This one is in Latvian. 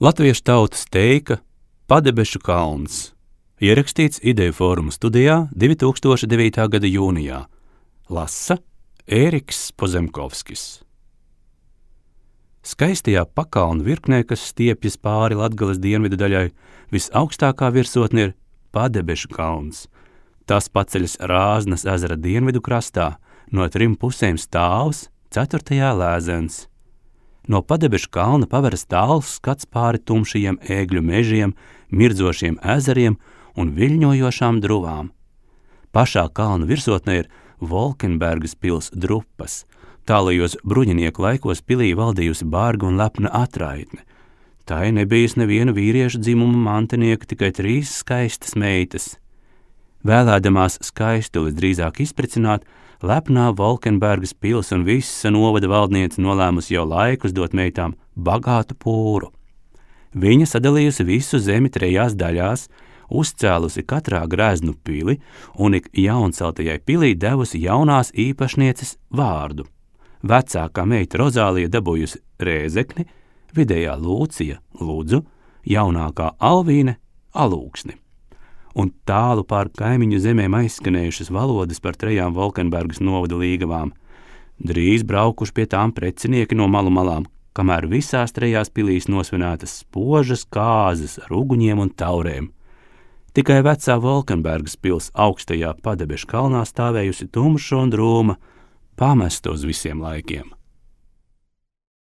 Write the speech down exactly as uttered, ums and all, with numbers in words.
Latviešu tautas teika Padebešu kalns, ierakstīts Ideju fóruma studijā divi tūkstoši devītā gada jūnijā. Lasa Ēriks Pozemkovskis. Skaistajā pakalnu virknē, kas stiepjas pāri Latgales dienvidu daļai, visaugstākā virsotne ir Padebešu kalns. Tas paceļas Rāznas ezera dienvidu krastā, no trim pusēm stāvs, ceturtajā lēzens. No Padebešu kalna paveras tāls skats pāri tumšajiem ēgļu mežiem, mirdzošiem ezeriem un viļņojošām druvām. Pašā kalna virsotnē ir Volkenbergas pils drupas. Tālajos bruņinieku laikos pilī valdījusi barga un lepna atraitne. Tai nebijis neviena vīriešu dzimuma mantinieka, tikai trīs skaistas meitas. Vēlēdamās skaistulis drīzāk izpricināt, lepnā Volkenbergas pils un visa novada valdniece nolēmusi jau laikus dot meitām bagātu pūru. Viņa sadalījusi visu zemi trejās daļās, uzcēlusi katrā greznu pili un ik jaunceltajai pilī devusi jaunās īpašnieces vārdu. Vecākā meita Rozālija dabūjusi Rēzekni, vidējā Lūcija Ludzu, jaunākā Alvīne Alūksni. Un tālu pār kaimiņu zemēm aizskanējušas valodas par trejām Volkenbergas novada līgavām. Drīz braukuši pie tām precinieki no malu malām, kamēr visās trejās pilīs nosvinētas spožas kāzas ar uguņiem un taurēm. Tikai vecā Volkenbergas pils augstajā Padebešu kalnā stāvējusi tumša un drūma, pamesta uz visiem laikiem.